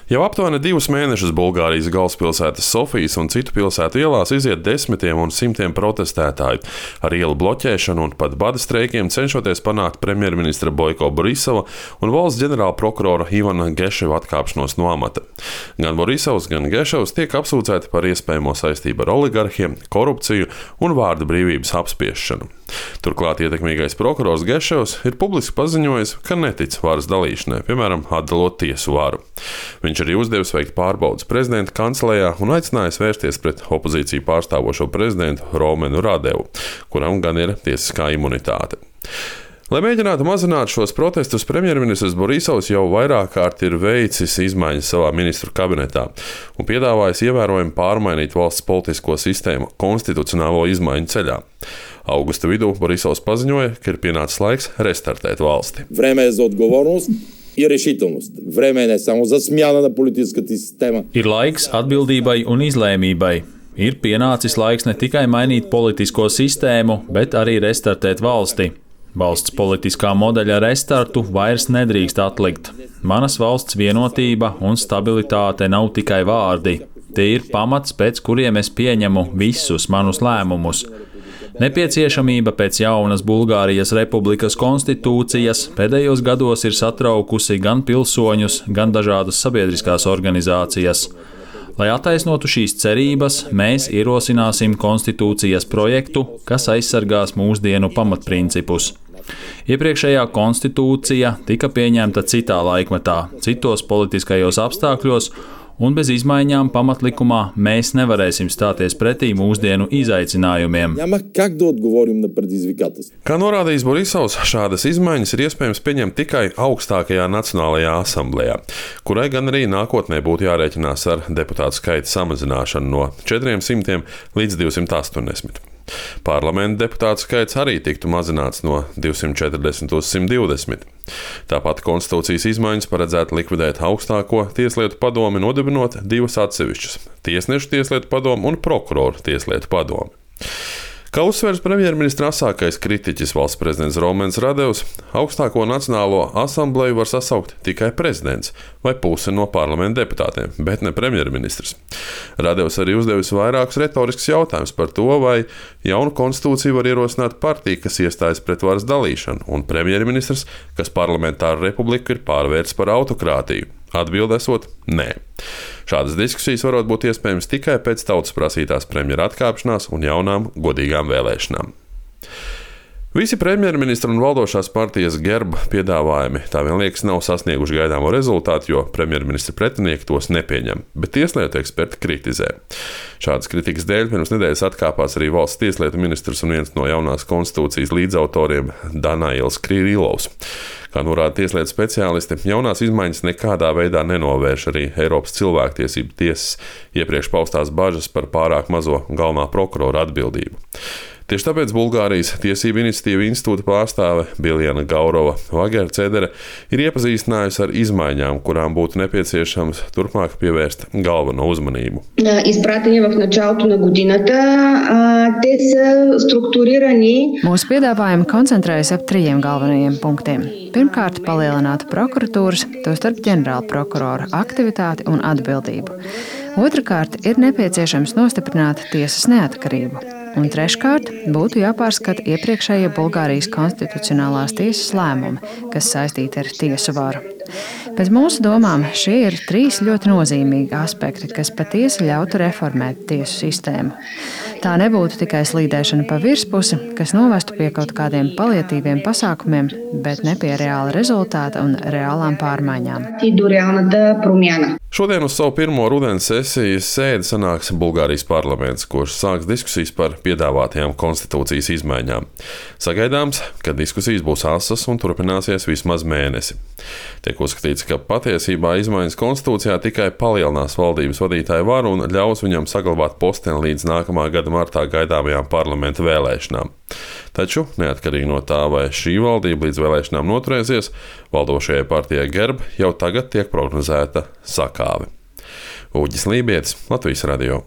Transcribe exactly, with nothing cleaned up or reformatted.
Jau aptuveni divus mēnešus Bulgārijas galvaspilsētas Sofijas un citu pilsētu ielās iziet desmitiem un simtiem protestētāju ar ielu bloķēšanu un pat bada streikiem, cenšoties panākt premjerministra Boiko Borisova un valsts ģenerāla prokurora Ivana Geševa atkāpšanos no amata. Gan Borisovs, gan Geševs tiek apsūdzēti par iespējamo saistību ar oligarhiem, korupciju un vārda brīvības apspiešanu. Turklāt ietekmīgais prokurors Geševs ir publiski paziņojis, ka netic varas dalīšanai, piemēram, atdalot tiesu varu. Viņš arī uzdevis veikt pārbaudes prezidenta kancelejā un aicinājis vērsties pret opozīciju pārstāvošo prezidentu Romenu Radevu, kuram gan ir tiesiskā imunitāte. Lai mēģinātu mazināt šos protestus, premjerministrs Borisovs jau vairāk kārt ir veicis izmaiņas savā ministru kabinetā un piedāvājis ievērojami pārmainīt valsts politisko sistēmu konstitucionālo izmaiņu ceļā. Augusta vidū Borisovs paziņoja, ka ir pienācis laiks restartēt valsti. Време е за отговорност и решителност. Време не само за смяна на политическата система. Ir laiks atbildībai un izlēmībai. Ir pienācis laiks ne tikai mainīt politisko sistēmu, bet arī restartēt valsti. Valsts politiskā modeļa restartu vairs nedrīkst atlikt. Manas valsts vienotība un stabilitāte nav tikai vārdi. Tie ir pamats, pēc kuriem es pieņemu visus manus lēmumus. Nepieciešamība pēc jaunas Bulgārijas republikas konstitūcijas pēdējos gados ir satraukusi gan pilsoņus, gan dažādas sabiedriskās organizācijas. Lai attaisnotu šīs cerības, mēs ierosināsim konstitūcijas projektu, kas aizsargās mūsdienu pamatprincipus. Iepriekšējā konstitūcija tika pieņemta citā laikmetā, citos politiskajos apstākļos, un bez izmaiņām pamatlikumā mēs nevarēsim stāties pretī mūsdienu izaicinājumiem. Kā norādījis Borisovs, šādas izmaiņas ir iespējams pieņemt tikai augstākajā Nacionālajā asamblejā, kurai gan arī nākotnē būtu jārēķinās ar deputātu skaita samazināšanu no četriem simtiem līdz divsimt astoņdesmit. Parlamenta deputātu skaits arī tiktu mazināts no divsimt četrdesmit uz simt divdesmit. Tāpat konstitūcijas izmaiņas paredzētu likvidēt augstāko tieslietu padomi, nodibinot divas atsevišķas - tiesnešu tieslietu padomu un prokuroru tieslietu padomu. Kā uzsvers premjerministra asākais kritiķis valsts prezidents Romens Radevs, augstāko Nacionālo asambleju var sasaukt tikai prezidents vai puse no parlamenta deputātiem, bet ne premjerministrs. Radevs arī uzdevis vairākus retoriskus jautājumus par to, vai jaunu konstitūciju var ierosināt partija, kas iestājas pret varas dalīšanu, un premjerministrs, kas parlamentāru republiku ir pārvērts par autokrātiju. Atbilde esot nē. Šādas diskusijas varot būt iespējams tikai pēc tautas prasītās premjera atkāpšanās un jaunām godīgām vēlēšanām. Visi premjerministra un valdošās partijas Gerb piedāvājumi tā vien liekas nav sasnieguši gaidāmo rezultātu, jo premjerministra pretinieki tos nepieņem, bet tieslietu eksperti kritizē. Šādas kritikas dēļ pirms nedēļas atkāpās arī valsts tieslietu ministrs un viens no jaunās konstitūcijas līdzautoriem Danails Krīlovs. Kā norāda tieslietu speciālisti, jaunās izmaiņas nekādā veidā nenovērš arī Eiropas cilvēktiesību tiesas iepriekš paustās bažas par pārāk mazo galvenā prokurora atbildību. Tieši tāpēc Bulgārijas tiesību iniciatīva institūta pārstāve Biljana Gaurova Vagercedere ir iepazīstinājusi ar izmaiņām, kurām būtu nepieciešams turpmāk pievērst galveno uzmanību. Mūsu piedāvājumi koncentrējas ap trījiem galvenajiem punktiem. Pirmkārt, palielināt prokuratūras, tostarp ģenerāla prokurora aktivitāti un atbildību. Otrakārt, ir nepieciešams nostiprināt tiesas neatkarību. Un treškārt, būtu jāpārskata iepriekšējie Bulgārijas konstitucionālās tiesas lēmumi, kas saistīti ar tiesu varu. Pēc mūsu domām šie ir trīs ļoti nozīmīgi aspekti, kas patiesi ļautu reformēt tiesu sistēmu. Tā nebūtu tikai slīdēšana pa virspusi, kas novestu pie kaut kādiem paliatīviem pasākumiem, bet ne pie reāla rezultāta un reālām pārmaiņām. Šodien uz savu pirmo rudens sesijas sēdi sanāks Bulgārijas parlaments, kurš sāks diskusijas par piedāvātajām konstitūcijas izmaiņām. Sagaidāms, ka diskusijas būs asas un turpināsies vismaz mēnesi. Tiek uzskatīts, ka patiesībā izmaiņas konstitūcijā tikai palielinās valdības vadītāju varu un ļaus viņam saglabāt posteni līdz nākamā gada martā gaidāmajām parlamenta vēlēšanām. Taču, neatkarīgi no tā, vai šī valdība līdz vēlēšanām noturēsies, valdošajai partijai Gerb jau tagad tiek prognozēta sakāve. Uģis Lībietis, Latvijas radio.